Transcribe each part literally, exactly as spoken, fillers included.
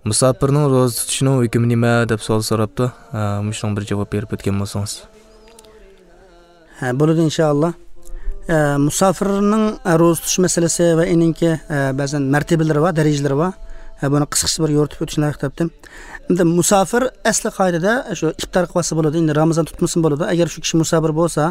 مۇساپىرنىڭ روزا تۇتۇشىنىڭ ھۆكمى نېمە دەپ سوئال سوراپتۇ. ئە، مۇشۇنىڭ بىر جاۋاب بېرىپ ئۆتكەن بولسىڭىز. ھە، بولىدۇ، ئىنشائاللا. ئە، مۇساپىرنىڭ، ئە، روزا تۇتۇش مەسىلىسى ۋە ئېنىڭكى، ئە، بەزەن مەرتىبىلىرى بار، دەرىجىلىرى بار. ئە، بۇنى قىسقىچە بىر يورۇتۇپ ئۆتۈشنى لايىق تاپتىم. ئەمدى مۇساپىر ئەسلى قائىدىدە شۇ ئىپتار قىلىۋالسا بولىدۇ. ئەمدى رامىزان تۇتمىسىمۇ بولىدۇ. ئەگەر شۇ كىشى مۇساپىر بولسا،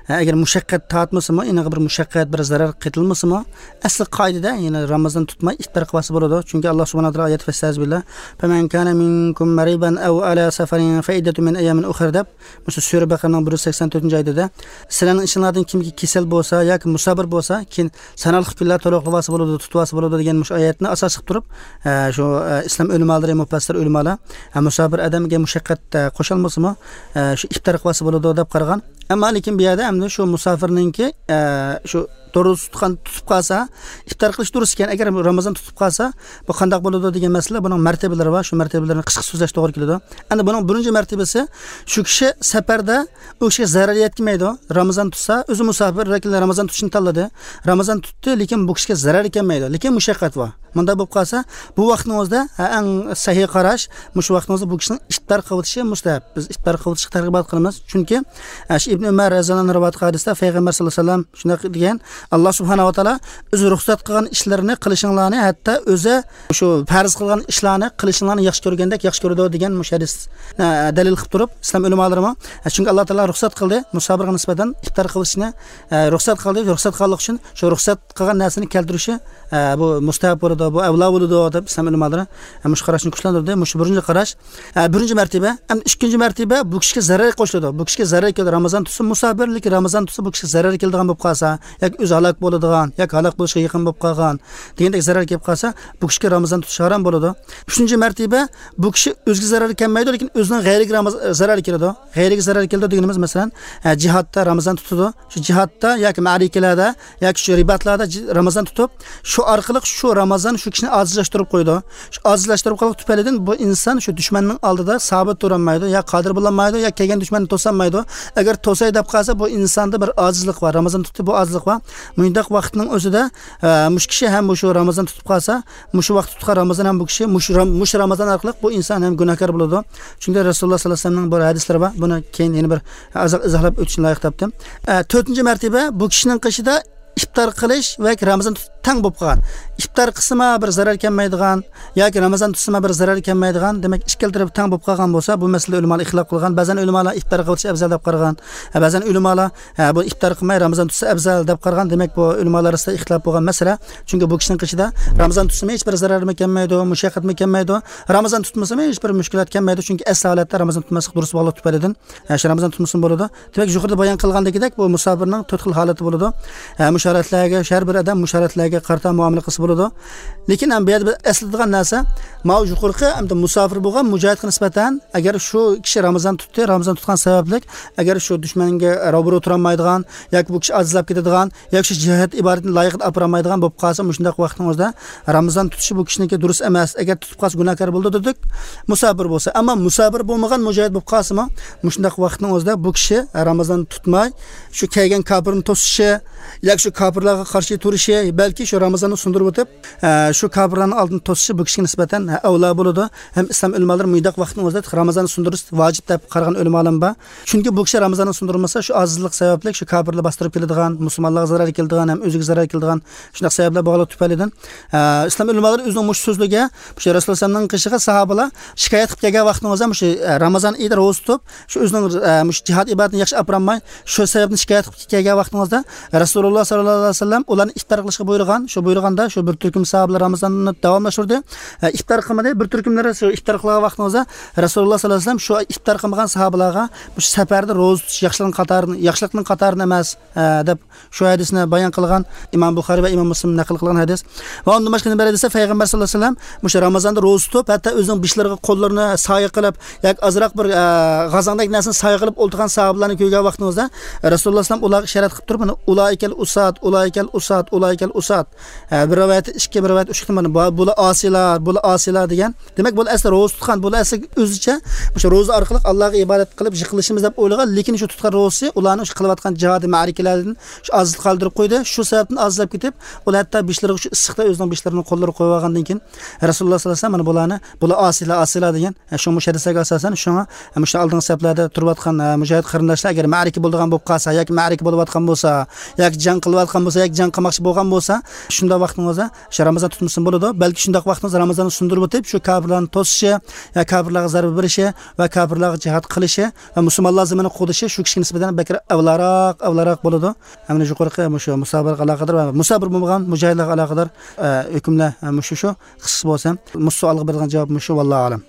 ئە، ئەگەر مۇشەققەت تارتمىسىمۇ، ئېنىغا بىر مۇشەققەت، بىر زەرەر قېتىلمىسىمۇ، ئەسلى قائىدىدە يەنە رامىزان تۇتماي ئىپتار قىلىۋالسا بولىدۇ. چۈنكى ئاللا سۇبھانەھۇ ۋە تائالا ئايەت فەسلەزبىللا، فَمَنْ كَانَ مِنْكُمْ مَرِيضًا أَوْ عَلَى سَفَرٍ فَعِدَّةٌ مِنْ أَيَّامٍ أُخَرَ دەپ، مۇشۇ سۈرە بەقەرىنىڭ بىر يۈز سەكسەن تۆتىنچى ئايىتىدە، سىلەرنىڭ ئىچىڭلاردىن كىمكى كېسەل بولسا ياكى مۇساپىر بولسا، كېيىن ساناقلىق كۈنلەر تولۇقلىۋالسا بولىدۇ، تۇتۇۋالسا بولىدۇ دېگەن مۇشۇ ئايەتنى ئاساس قىلىپ تۇرۇپ، ئە، شۇ، ئە، ئىسلام ئۆلىمالىرى، مۇپەسسىر ئۆلىمالار، ئە، مۇساپىر ئادەمگە مۇشەققەت، ئە، قوشالمىسىمۇ، ئە، شۇ ئىپتار قىلىۋالسا بولىدۇ دەپ قارىغان. ئەمما لېكىن بۇ يەردە ئەمدى شۇ مۇساپىرنىڭكى، ئە، شۇ روزا تۇتقان، تۇتۇپ قالسا، ئىپتار قىلىش دۇرۇس ئىكەن، ئەگەر رامىزان تۇتۇپ قالسا، بۇ قانداق بولىدۇ دېگەن مەسىلە، بۇنىڭ مەرتىبىلىرى بار، شۇ مەرتىبىلىرىنى قىسقىچە سۆزلەش توغرا كېلىدۇ. ئەمدى بۇنىڭ بىرىنچى مەرتىبىسى، شۇ كىشى سەپەردە ئۇ كىشىگە زەرەر يەتكۈزمەيدۇ. رامىزان تۇتسا، ئۆزى مۇساپىر، لېكىن رامىزان تۇتۇشنى تاللىدى. رامىزان تۇتتى، لېكىن بۇ كىشىگە زەرەر كەلمەيدۇ. لېكىن مۇشەققەت بار. مۇنداق بولۇپ قالسا، بۇ ۋاقتىنىڭ ئۆزىدە، ھە، ئەڭ سەھىھ قاراش، مۇشۇ ۋاقتىنىڭ ئۆزىدە بۇ كىشىنىڭ ئىپتار قىلىۋېتىشى مۇستەھەب. بىز ئىپتار قىلىۋېتىشقا تەرغىبات قىلىمىز. چۈنكى، ئە، شۇ ئىبن ئۆمەر رەزىياللاھۇ ئەنھۇ رىۋايەت قىلغان ھەدىستە پەيغەمبەر ساللاللاھۇ ئەلەيھى ۋەسەللەم شۇنداق دېگەن، ئاللا سۇبھانەھۇ ۋە تائالا ئۆزى رۇخسەت قىلغان ئىشلىرىنى قىلىشىڭلارنى، ھەتتا ئۆزى شۇ پەرز قىلغان ئىشلارنى قىلىشىڭلارنى ياخشى كۆرگەندەك ياخشى كۆرىدۇ دېگەن مۇشۇ ھەدىس، ئە، دەلىل قىلىپ تۇرۇپ، ئىسلام ئۆلىمالىرىمۇ، ئە، چۈنكى ئاللا تائالا رۇخسەت قىلدى، مۇساپىرغا نىسبەتەن ئىپتار قىلىشنى، ئە، رۇخسەت قىلدى، رۇخسەت قىلغانلىقى ئۈچۈن شۇ رۇخسەت قىلغان نەرسىنى كەلتۈرۈشى، ئە، بۇ مۇستەھەب بولىدۇ، بۇ ئەۋلا بولىدۇ دەپ ئىسلام ئۆلىمالىرى، ئە، مۇشۇ قاراشنى كۈچلەندۈردى. مۇشۇ بىرىنچى قاراش. ئە، بىرىنچى مەرتىبە. ئەمدى ئىككىنچى مەرتىبە بۇ كىشىگە زەرەر قوشۇلىدۇ. بۇ كىشىگە زەرەر كېلىدۇ. رامىزان تۇتسا، مۇساپىر، لېكىن رامىزان تۇتسا، بۇ كىشىگە زەرەر كېلىدىغان بولۇپ قالسا، ياكى ئۆزى ھالاك بولىدىغان، ياكى ھالاك بولۇشقا يېقىن بولۇپ قالغان دېگەندەك زەرەر كېلىپ قالسا، بۇ كىشىگە رامىزان تۇتۇش ھارام بولىدۇ. ئۈچىنچى مەرتىبە، بۇ كىشى ئۆزىگە زەرەر كەلمەيدۇ، لېكىن ئۆزىنىڭ غەيرىگە راماز-، زەرەر كېلىدۇ. غەيرىگە زەرەر كېلىدۇ دېگىنىمىز، مەسىلەن، ئە، جىھادتا رامىزان تۇتىدۇ. شۇ جىھادتا ياكى مەرىكىلەردە ياكى شۇ رىباتلاردا جى-، رامىزان تۇتۇپ، شۇ ئارقىلىق شۇ رامىزان شۇ كىشىنى ئاجىزلاشتۇرۇپ قويىدۇ. شۇ ئاجىزلاشتۇرۇپ قويغان تۈپەيلىدىن بۇ ئىنسان شۇ دۈشمەننىڭ ئالدىدا سابىت تۇرالمايدۇ، يا قادىر بولالمايدۇ، يا كەلگەن دۈشمەننى توسالمايدۇ. ئەگەر توساي دەپ قالسا، بۇ ئىنساندا بىر ئاجىزلىق بار، رامىزان تۇتتى، بۇ ئاجىزلىق بار. مۇنداق ۋاقىتنىڭ ئۆزىدە، ئە، مۇشۇ كىشى ھەم مۇشۇ رامىزان تۇتۇپ قالسا، مۇشۇ ۋاقىت تۇتقان رامىزان ھەم بۇ كىشى مۇشۇ رام-، مۇشۇ رامىزان ئارقىلىق بۇ ئىنسان ھەم گۇناھكار بولىدۇ. چۈنكى رەسۇلۇللا ساللاللاھۇ ئەلەيھى ۋەسەللەمنىڭ بىر ھەدىسلىرى بار. بۇنى كېيىن يەنە بىر ئازراق ئىزاھلاپ ئۆتۈشنى لايىق تاپتىم. ئە، تۆتىنچى مەرتىبە بۇ كىشىنىڭ قېشىدا ئىپتار قىلىش ۋە رامىزان تۇتۇش تەڭ بولۇپ قالغان. ئىپتار قىلسىمۇ بىر زەرەر كەلمەيدىغان ياكى رامىزان تۇتسىمۇ بىر زەرەر كەلمەيدىغان، دېمەك، ئىككىلا تەرەپ تەڭ بولۇپ قالغان بولسا، بۇ مەسىلىدە ئۆلىمالار ئىختىلاپ قىلغان. بەزەن ئۆلىمالار ئىپتار قىلىش ئەۋزەل دەپ قارىغان. ئە، بەزەن ئۆلىمالار، ئە، بۇ ئىپتار قىلماي رامىزان تۇتسا ئەۋزەل دەپ قارىغان. دېمەك، بۇ ئۆلىمالار ئارىسىدا ئىختىلاپ بولغان مەسىلە. چۈنكى بۇ كىشىنىڭ قېشىدا رامىزان تۇتسىمۇ ھېچ بىر زەرەرمۇ كەلمەيدۇ، مۇشەققەتمۇ كەلمەيدۇ. رامىزان تۇتمىسىمۇ ھېچ بىر مۈشكۈلات كەلمەيدۇ. چۈنكى ئەسلى ھالەتتە رامىزان تۇتماسلىق دۇرۇس بولغانلىقى تۈپەيلىدىن، ئە، شۇ رامىزان تۇتمىسىمۇ بولىدۇ. دېمەك، يۇقىرىدا بايان قىلغاندىكىدەك، بۇ مۇساپىرنىڭ تۆت خىل ھالىتى بولىدۇ. ئە، مۇشۇ ھالەتلەرگە، شۇ ھەر بىر ئادەم مۇشۇ ھالەتلەرگە قارىتا مۇئامىلە قىلسا بولىدۇ. لېكىن ھەم بۇ يەردە بىر ئەسلىتىدىغان نەرسە، ماۋۇ يۇقىرىقى ئەمدى مۇساپىر بولغان مۇجاھىدقا نىسبەتەن، ئەگەر شۇ كىشى رامىزان تۇتتى، رامىزان تۇتقان سەۋەبلىك، ئەگەر شۇ دۈشمەنگە روبىرو تۇرالمايدىغان ياكى بۇ كىشى ئاجىزلاپ كېتىدىغان ياكى شۇ جىھاد ئىبادىتىنى لايىقىدا ئاپىرالمايدىغان بولۇپ قالسا، مۇشۇنداق ۋاقىتنىڭ ئۆزىدە رامىزان تۇتۇشى بۇ كىشىنىڭكى دۇرۇس ئەمەس. ئەگەر تۇتۇپ قالسا، گۇناھكار بولىدۇ دېدۇق، مۇساپىر بولسا. ئەمما مۇساپىر بولمىغان مۇجاھىد بولۇپ قالسىمۇ، مۇشۇنداق ۋاقىتنىڭ ئۆزىدە بۇ كىشى رامىزان تۇتماي، شۇ كەلگەن كاپىرنى توسۇشى ياكى شۇ كاپىرلارغا قارشى تۇرۇشى، بەلكى شۇ رامىزاننى سۇندۇرۇپ ئۆتۈپ، ئە، شۇ كاپىرلارنىڭ ئالدىنى توسۇشى بۇ كىشىگە نىسبەتەن، ئە، ئەۋلا بولىدۇ. ھەم ئىسلام ئۆلىمالىرى مۇنداق ۋاقىتنىڭ ئۆزىدە رامىزاننى سۇندۇرۇش ۋاجىپ دەپ قارىغان ئۆلىمالارمۇ بار. چۈنكى بۇ كىشى رامىزاننى سۇندۇرمىسا، شۇ ئاجىزلىق سەۋەبلىك شۇ كاپىرلار باستۇرۇپ كېلىدىغان، مۇسۇلمانلارغا زەرەر كېلىدىغان، ھەم ئۆزىگە زەرەر كېلىدىغان شۇنداق سەۋەبلەر بارلىقى تۈپەيلىدىن، ئە، ئىسلام ئۆلىمالىرى ئۆزىنىڭ مۇشۇ سۆزلىرىگە، مۇشۇ رەسۇلۇللا ئەلەيھىسسالامنىڭ قېشىغا ساھابىلار شىكايەت قىلىپ كەلگەن ۋاقتىنىڭ ئۆزىدە، مۇشۇ، ئە، رامىزان ئېيىدا روزا تۇتۇپ، شۇ ئۆزىنىڭ، ئە، مۇشۇ جىھاد ئىبادىتىنى ياخشى ئاپىرالماي، شۇ سەۋەبتىن شىكايەت قىلىپ كەلگەن ۋاقتىڭىزدا، رەسۇلۇللا ساللاللاھۇ ئەلەيھى ۋەسەللەم ئۇلارنى ئىپتار قىلىشقا بۇيرۇغان. شۇ بۇيرۇغاندا شۇ بىر تۈركۈم ساھابىلار رامىزاننى داۋاملاشتۇردى. ئە، ئىپتار قىلمىدى. بىر تۈركۈملىرى شۇ ئىپتار قىلغان ۋاقتىڭىزدا رەسۇلۇللا ساللاللاھۇ ئەلەيھى ۋەسەللەم شۇ ئىپتار قىلمىغان ساھابىلارغا مۇشۇ سەپەردە روزا تۇتۇش ياخشىلىقنىڭ قاتارىدا، ياخشىلىقنىڭ قاتارىدا ئەمەس، ئە، دەپ شۇ ھەدىسنى بايان قىلغان ئىمام بۇخارىي ۋە ئىمام مۇسلىم نەقىل قىلغان ھەدىس. ۋە ئۇندىن باشقا نېمە بار دېسە، پەيغەمبەر ساللاللاھۇ ئەلەيھى ۋەسەللەم مۇشۇ رامىزاندا روزا تۇتۇپ، ھەتتا ئۆزىنىڭ بېشلىرىغا قوللىرىنى سايە قىلىپ، ياكى ئازراق بىر، ئە، غازاڭدەك نەرسىنى سايە قىلىپ ئولتۇرغان ساھابىلارنى كۆرگەن ۋاقتىڭىزدا، رەسۇلۇللا ئەلەيھىسسالام ئۇلارغا ئىشارەت قىلىپ تۇرۇپ، مانا، ئۇلائىكەل ئۇسات، ئۇلائىكەل ئۇسات، ئۇلائىكەل ئۇسات. ھە، بىر رىۋايەتتە ئىككى، بىر رىۋايەتتە ئۈچ قېتىم بار. بۇ، بۇلار ئاسىيلار، بۇلار ئاسىيلار دېگەن. دېمەك، بۇلار ئەسلى روزا تۇتقان، بۇلار ئەسلى ئۆزىچە مۇشۇ روزا ئارقىلىق ئاللاغا ئىبادەت قىلىپ يىقىلىشىمىز دەپ ئويلىغان، لېكىن شۇ تۇتقان روزىسى ئۇلارنى شۇ قىلىۋاتقان جىھادىي مەرىكىلەردىن شۇ ئازاد قالدۇرۇپ قويدى. شۇ سەۋەبتىن ئازلاپ كېتىپ، ئۇلار ھەتتا بېشلىرىغا شۇ ئىسسىقتا ئۆزىنىڭ بېشلىرىنى، قوللىرىغا قويۇۋالغاندىن كېيىن، رەسۇلۇللاھ سەللەللاھۇ ئەلەيھى ۋەسەللەم مانا بۇلارنى، بۇلار ئاسىيلار، ئاسىيلار دېگەن. ھە، شۇ مۇشۇ ھەدىسلەرگە ئاساسەن، شۇڭا، ھە، مۇشۇ ئالدىنقى سەپلەردە تۇرۇۋاتقان، ھە، مۇجاھىد قېرىنداشلار ئەگەر مەرىكە بولىدىغان بولۇپ قالسا ياكى مەرىكە بولۇۋاتقان بولسا، ياكى جەڭ قىلىۋاتقان بولسا، ياكى جەڭ قىلماقچى بولغان بولسا، شۇنداق ۋاقتىڭىزدا شۇ رامىزان تۇتمىسىمۇ بولىدۇ. بەلكى شۇنداق ۋاقتىڭىزدا رامىزاننى سۇندۇرۇپ ئۆتۈپ، شۇ كاپىرلارنى توسۇشى، يا كاپىرلارغا زەربە بېرىشى ۋە كاپىرلارغا جىھاد قىلىشى ۋە مۇسۇلمانلار زېمىنىنى قوغدىشى شۇ كىشىگە نىسبەتەن بەكرەك ئەۋلاراق، ئەۋلاراق بولىدۇ. ھەم يۇقىرىقى مۇشۇ مۇسابىقىگە ئالاقىدار ۋە مۇسابىر بولمىغان مۇجاھىدلارغا ئالاقىدار، ئە، ھۆكۈملەر، ئە، مۇشۇ شۇ. قىسقىسى بولسا، مۇشۇ سوئالغا بېرىدىغان جاۋاب مۇشۇ، ۋاللاھۇ ئەلەم.